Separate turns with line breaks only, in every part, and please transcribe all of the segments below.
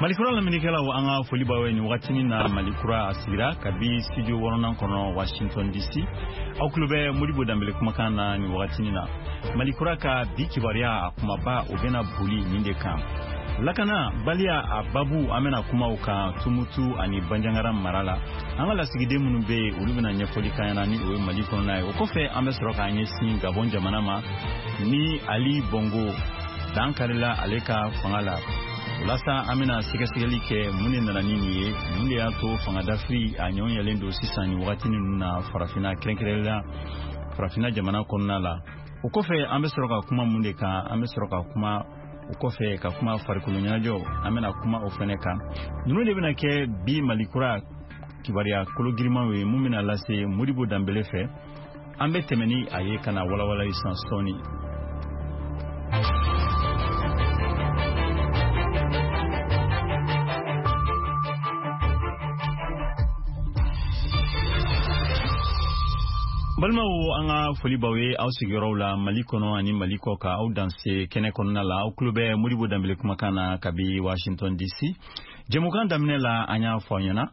Malikura lamɛnnikɛlaw, an ka foli b'aw ye nin wagatinin na. Malikura a sigira kabi studio wɔɔrɔnan kɔnɔ, Washington DC. Aw tulo bɛ Modibo Danbele kumakan na nin wagatinin na. Malikura ka bi kibaruya, a kumaba, o bɛna boli nin de kan: lakana baliya a babu. An bɛna kuma o kan Tumutu ani Banjangara mara la. An ka lasigiden minnu bɛ yen, olu bɛna ɲɛfɔli k'an ɲɛna ni o ye Mali kɔnɔna ye. O kɔfɛ, an bɛ sɔrɔ k'an ɲɛsin Gabɔn jamana ma, ni Ali Bongo dan karila ale ka fanga la. O la sa, an bɛna sɛgɛsɛgɛli kɛ mun de nana ni nin ye, mun de y'a to fanga dafiri a ɲɔgɔn yɛlɛn don sisan nin wagati ninnu na Farafinna, kɛrɛnkɛrɛnnenya Farafinna jamana kɔnɔna la. O kɔfɛ, an bɛ sɔrɔ ka kuma mun de kan? An bɛ sɔrɔ ka kuma o kɔfɛ ka kuma farikolo ɲɛnajɛw, an bɛna kuma o fɛnɛ kan. Ninnu de bɛna kɛ bi Malikura kibaruya kologirimanw ye, mun bɛna lase Modibo Danbele fɛ. An bɛ tɛmɛ ni a ye ka na walawala sisan sɔɔni. Balimaw, an ka foli b'aw ye aw sigiyɔrɔw la, Mali kɔnɔ ani Mali kɔ ka. Aw danse kɛnɛ kɔnɔna la. Aw tulo bɛ Modibo Danbele kumakan na kabi Washington DC. Jɛmukan daminɛ la, an y'a fɔ aw ɲɛna.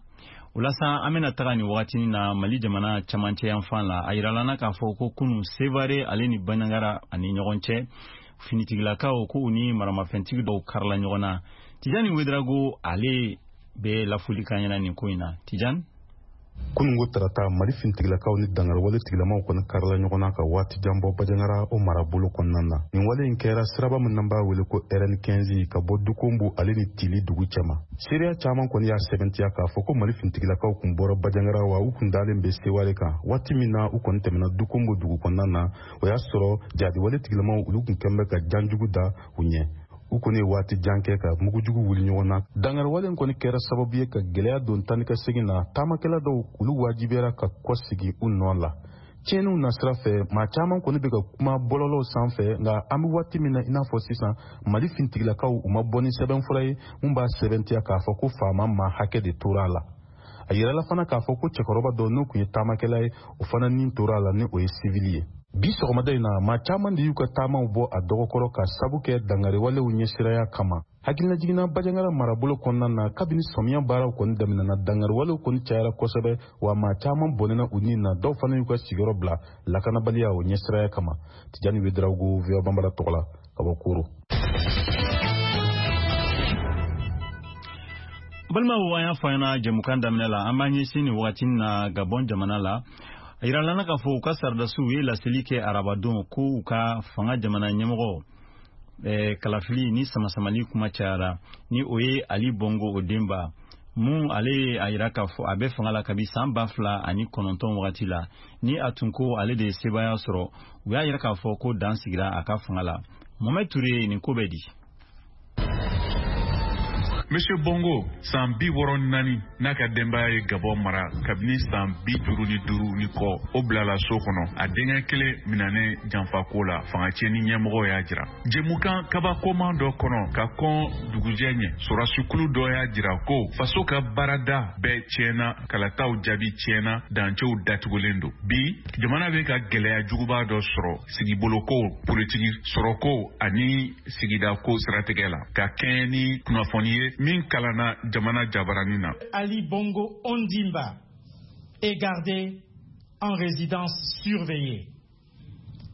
O la sa, an bɛna taga nin wagatinin na Mali jamana camancɛ yanfan la. A yirala na k'a fɔ ko kunu, Sevare ale ni Banjagara ani ɲɔgɔn cɛ, finitigilakaw ko u ni maramafɛntigi dɔw karila ɲɔgɔn na. Tijani Wedrago, ale bɛ lafuli kan ɲɛna nin ko in na. Tijani.
Kunungo tarata, Mali finitigilakaw ni dangariwale tigilamaw kɔni karila ɲɔgɔn na ka waati jan bɔ Bajangara o marabolo kɔnɔna na. Nin wale in kɛra siraba min n'an b'a wele ko RN 15, ka bɔ Dukombo ale ni Tili dugu cɛma. Seereya caman kɔni y'a sɛbɛntiya k'a fɔ ko Mali finitigilakaw kun bɔra Bajangara, wa u kun dalen bɛ Seware kan. Waati min na u kɔni tɛmɛna Dukombo dugu kɔnɔna na, o y'a sɔrɔ jadiwale tigilamaw, olu kun kɛn bɛ ka janjugu da u ɲɛ. U kɔni ye waati jan kɛ ka mugujugu wuli ɲɔgɔn na. Dangariwale kɔni kɛra sababu ye ka gwɛlɛya don tani ka segin na. Taamakɛla dɔw, olu wajibiyara ka kɔsegi u nɔ la. Tiɲɛniw nasira fɛ, maa caman kɔni bɛ ka kuma bɔlɔlɔw sanfɛ, nka an bɛ waati min na i n'a fɔ sisan, Mali fintigilakaw, u ma bɔ ni sɛbɛnfura ye mun b'a sɛbɛntiya k'a fɔ ko faama maa hakɛ de tora a la. A yirala fana k'a fɔ ko cɛkɔrɔba dɔ, n'o tun ye taamakɛla ye, o fana nin tora a la, ni o ye sivili ye. Bi sɔgɔmada in na, maa caman de y'u ka taamaw bɔ a dɔgɔkɔrɔ ka sabu kɛ dangariwalew ɲɛsiraya kama. Hakilinajiginna, Bajangara marabolo kɔnɔna na, kabini sɔmiya baaraw kɔni daminɛna, dangariwalew kɔni cayara kosɛbɛ, wa maa caman bɔnɛna u ni na, dɔw fana y'u ka sigiyɔrɔ bila lakanabaliya o ɲɛsiraya kama. Tijani Wedarawogo, VOA Banbara tɔgɔ la, ka bɔ Koro.
Balimaw, an y'a fɔ an ɲɛna jɛmukan daminɛ la, an b'an ɲɛsin nin wagati na Gabɔn jamana la. A yirala k'a fɔ u ka saradasiw ye laseli kɛ arabadon ko u ka fanga jamana ɲɛmɔgɔ kalafili ni samasamali kuma cayara, ni o ye Ali Bongo Ondimba mun. Ale ye a yira k'a fɔ a bɛ fanga la kabi san 2009 wagati la, ni a tun ko ale de ye sebaaya sɔrɔ. U y'a yira k'a fɔ ko dan sigira a ka fanga la. Mohamed Touré, nin ko bɛ di?
Monsieur Bongo, san 64, n'a ka denbaya ye Gabɔn mara kabini san 55 ni kɔ, o bilala so kɔnɔ, a denkɛ kelen minanen janfako la, fanga tiɲɛni ɲɛmɔgɔ y'a jira. Jɛmukan kabakoman dɔ kɔnɔ ka kɔn dugujɛ ɲɛ, sɔrɔdasikulu dɔ y'a jira ko faso ka baarada bɛɛ tiɲɛna, kalataw jaabi tiɲɛna, dancɛw datugulen don. Bi, jamana bɛ ka gɛlɛya juguba dɔ sɔrɔ sigiboloko, politiki, sɔrɔko ani sigidako siratigɛ la, ka kɛɲɛ ni kunnafoni ye min kalanna jamana jabarani na.
Ali Bongo Ondimba est gardé en résidence surveillée.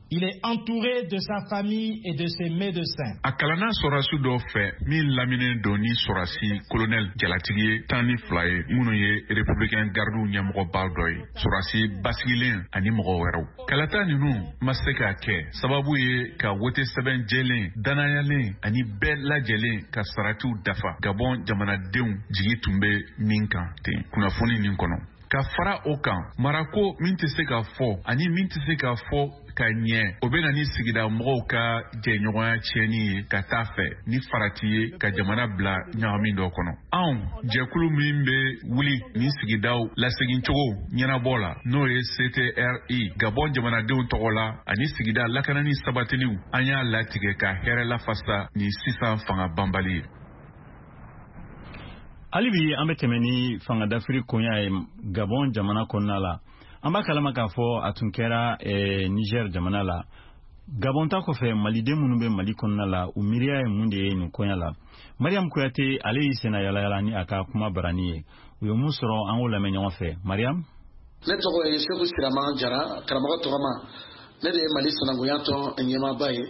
Il est entouré de sa famille et de ses médecins.
A kalanna sɔrɔdasi dɔ fɛ min laminen don ni sɔrɔdasi kolonɛli jalatigi ye 12 ye, minnu ye républicain gardiw ɲɛmɔgɔba dɔ ye, sɔrɔdasi basigilen ani mɔgɔ wɛrɛw. Kalata ninnu ma se ka kɛ sababu ye ka wote sɛbɛn jɛlen, danayalen ani bɛɛ lajɛlen ka saratiw dafa, Gabɔn jamanadenw jigi tun bɛ min kan ten kunnafoni nin kɔnɔ. Ka fara o kan, marako min tɛ se ka fɔ ani min tɛ se ka fɔ ka ɲɛ, o bɛ na ni sigida mɔgɔw ka jɛɲɔgɔnya tiɲɛni ye ka taa fɛ, ni farati ye ka jamana bila ɲagami dɔ kɔnɔ. Anw jɛkulu min bɛ wuli ni sigidaw lasegincogo ɲɛnabɔ la, n'o ye CTRI Gabɔn jamanadenw tɔgɔ la ani sigida lakanani sabatiliw, an y'a latigɛ ka hɛrɛ lafasa ni sisan fanga banbali ye.
Hali bi, an bɛ tɛmɛ ni fanga dafiri koɲa ye Gabɔn jamana kɔnɔna la. An b'a kalama k'a fɔ a tun kɛra Niger jamana la. Gabon ta kɔfɛ, maliden minnu bɛ Mali kɔnɔna la, u miiriya ye mun de ye nin koɲa la? Mariam Kuyate, ale y'i senna yalayala ni a ka kuma barani ye. U ye mun sɔrɔ, an k'o lamɛn ɲɔgɔn fɛ. Mariam.
Ne tɔgɔ ye Segu Sirama Jara, karamɔgɔ tɔgɔma. Ne de ye Mali sinankunya tɔn ɲɛmaaba ye.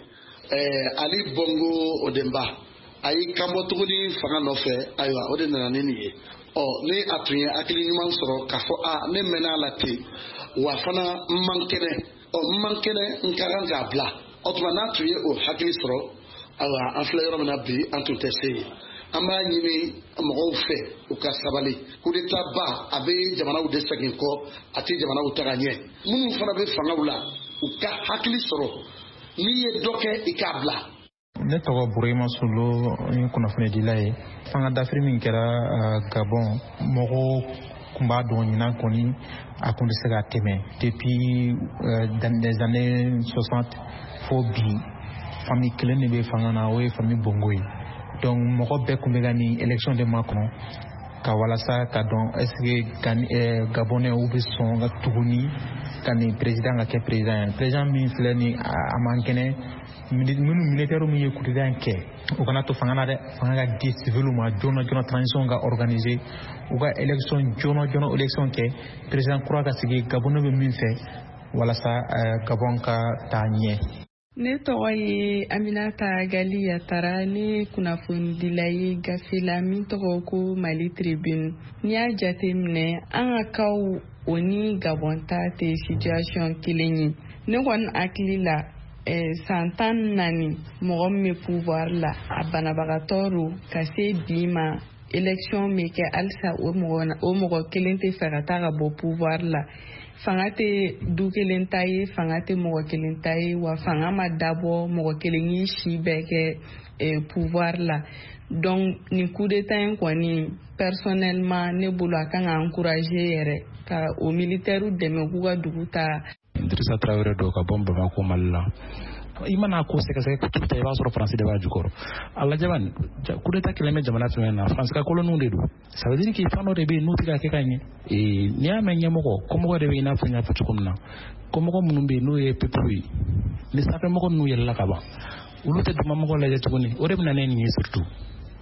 Ali Bongo Ondimba, a y'i kanbɔ tuguni fanga nɔfɛ. Ayiwa, o de nana ni nin ye. Ɔ ni a tun ye hakili ɲuman sɔrɔ k'a fɔ a ne mɛnna a la ten, wa fana n man kɛnɛ, ɔ n man kɛnɛ, n ka kan k'a bila. O tuma n'a tun ye o hakili sɔrɔ, ayiwa, an filɛ yɔrɔ min na bi, an tun tɛ se yen. An b'a ɲini mɔgɔw fɛ u ka sabali. Coup d'état ba, a bɛ jamanaw de segin kɔ, a tɛ jamanaw taga ɲɛ. Minnu fana bɛ fangaw la, u ka hakili sɔrɔ, n'i ye dɔ kɛ, i k'a bila.
Ne tɔgɔ Burema Solo, ni kunnafonidila ye. Fanga dafiri min kɛra Gabon, mɔgɔw tun b'a dɔn ɲinan kɔni a kun tɛ se ka tɛmɛ. Depuis dans les années 60 fo bi, famille kelen de bɛ fanga na, o ye famille Bongo ye. Donc mɔgɔ bɛɛ tun bɛ ka nin élection de makɔnɔ ka walasa ka dɔn est ce que Gabonais u bɛ sɔn ka tuguni ka nin président ka kɛ président ye. Président min filɛ nin, a man kɛnɛ. Minnu militaire min ye coup d'état kɛ, u kana to fanga na dɛ. Fanga ka di civil ma joona joona, transition ka organiser, u ka élection joona joona, élection kɛ, président kura ka sigi. Gabonais bɛ min fɛ walasa Gabon ka taa ɲɛ.
Ne tɔgɔ ye Aminata Gali Yatara, ne kunnafonidila ye gafe la min tɔgɔ ko Mali Tribune. N'i y'a jate minɛ, an ka kaw o ni Gabon ta tɛ situation kelen ye. Ne kɔni hakili la, san 14 mɔgɔ min bɛ pouvoir la, a banabagatɔ don ka se bi ma. Élection bɛ kɛ halisa, o mɔgɔ kelen tɛ fɛ ka taa ka bɔ pouvoir la. Fanga tɛ du kelen ta ye, fanga tɛ mɔgɔ kelen ta ye, wa fanga ma dabɔ mɔgɔ kelen y'i si bɛɛ kɛ pouvoir la. Donc nin coup d'état in kɔni, personnellement ne bolo, a kan ka encourager yɛrɛ ka o militaire dɛmɛ k'u ka dugu ta.
Dirisa Tarawele don ka bɔ Bamako, Mali la. I mana ko sɛgɛsɛgɛ ko ta, i b'a sɔrɔ Faransi de b'a jukɔrɔ. A lajɛ bani, coup d'état kɛlen bɛ jamana fɛn na, Faransi ka koloniw de don. Ça veut dire que fɛn dɔ de bɛ yen n'u tɛ ka kɛ ka ɲɛ. N'i y'a mɛn ɲɛmɔgɔ, kɔmɔgɔ de bɛ, i n'a fɔ n y'a fɔ cogo min na, kɔmɔgɔ minnu bɛ yen n'o ye peuple ye, ni sanfɛmɔgɔ ninnu yɛlɛla ka ban, olu tɛ dugumamɔgɔ lajɛ tuguni. O de bɛ na ne nin ye, surtout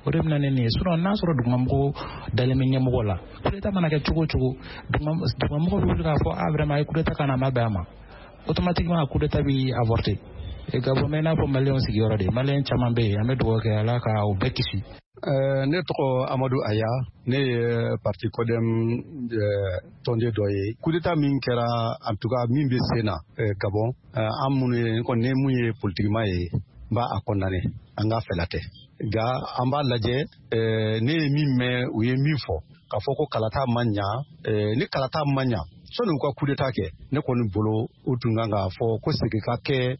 o de bɛ na ne nin ye. Sinon n'a sɔrɔ dugumamɔgɔ dalen bɛ ɲɛmɔgɔ la, coup d'état mana kɛ cogo o cogo, dugumamɔgɔ bɛ wuli k'a fɔ: ah, vraiment, a ye coup d'état ka na, a ma bɛn a ma. Automatiquement coup d'état bɛ avorter. Gabon bɛ i n'a fɔ maliyɛnw sigiyɔrɔ de, maliyɛn caman bɛ yen. An bɛ dugawu kɛ, Ala ka o bɛɛ kisi.
Ne tɔgɔ Amadu Aya, ne ye parti CODEM tɔnden dɔ ye. Coup d'état min kɛra, en tout cas min bɛ sen na Gabon, an minnu ye kɔni, ne mun ye politikima ye, n b'a a condamné. An ka fɛla tɛ, nka an b'a lajɛ. Ne ye min mɛn, u ye min fɔ k'a fɔ ko kalata ma ɲa, ni kalata ma ɲa, sɔnni u ka coup d'état kɛ, ne kɔni bolo, u tun kan k'a fɔ ko segin ka kɛ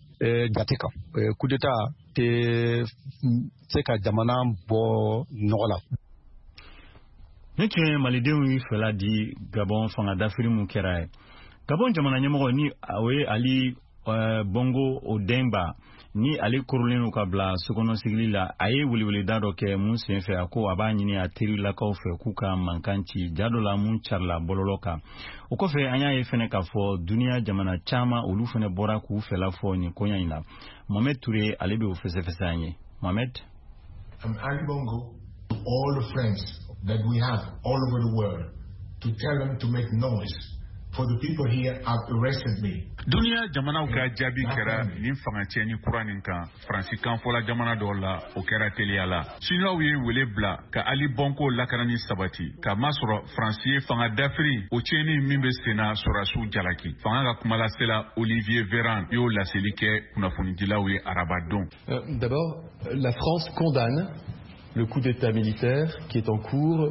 jate kan. Coup d'état tɛ se ka jamana bɔ nɔgɔ la.
Ne tun ye malidenw y'u fɛla di Gabon fanga dafiri mun kɛra ye. Gabon jamana ɲɛmɔgɔ, ni o ye Ali Bongo Ondimba, ni ale korolen don ka bila sokɔnɔ sigili la, a ye weleweleda dɔ kɛ mun senfɛ a ko a b'a ɲini a terilakaw fɛ k'u ka mankan ci ja dɔ la mun carila bɔlɔlɔ kan. O kɔfɛ, an y'a ye fɛnɛ k'a fɔ duniya jamana caman, olu fɛnɛ bɔra k'u fɛla fɔ nin koɲa in na. Mohamed Touré, ale bɛ o fɛsɛfɛsɛ an ye. Mohamed.
I'm Ali Bongo to all the friends that we have all over the world to tell them to make noise for the people here have arrested me.
Duniya jamanaw ka jaabi kɛra nin fanga tiɲɛni kura nin kan. Faransi kanfɔla jamana dɔw la, o kɛra teliya la. Siniwaw ye wele bila ka Ali Bongo lakanani sabati, k'a masɔrɔ Faransi ye fanga dafiri o tiɲɛni min bɛ senna sɔrɔdasiw jalaki. Fanga ka kumalasela Olivier Véran y'o laseli kɛ kunnafonidilaw ye arabadon.
D'abord, la France condamne le coup d'État militaire qui est en cours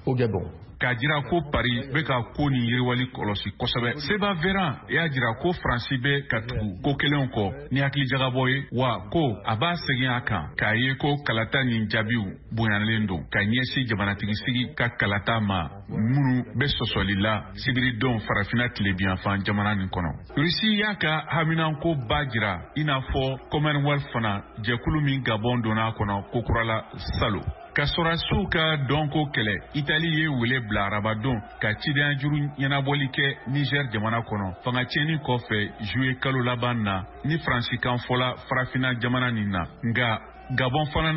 au Gabon.
K'a jira ko Paris bɛ ka ko nin yiriwali kɔlɔsi kosɛbɛ, Seba Véran y'a jira ko Faransi bɛ ka tugu ko kelenw kɔ ni hakilijagabɔ ye, wa ko a b'a segin a kan k'a ye ko kalata nin jaabiw bonyalen don ka ɲɛsin jamanatigisigi ka kalata ma minnu bɛ sɔsɔli la sibiridon Farafina tilebiyanfan jamana nin kɔnɔ. Rusi y'a ka haminanko ba jira, i n'a fɔ Commonwealth fana, jɛkulu min Gabon donna a kɔnɔ kokura la salo. Ka sɔrɔdasiw ka dɔnko kɛlɛ, Itali ye wele bila arabadon ka cidenjuru ɲɛnabɔli kɛ Niger jamana kɔnɔ, fanga tiɲɛni kɔfɛ juillet kalo laban na, ni Faransikan fɔla farafina jamana nin na. Nka Gabon fana na.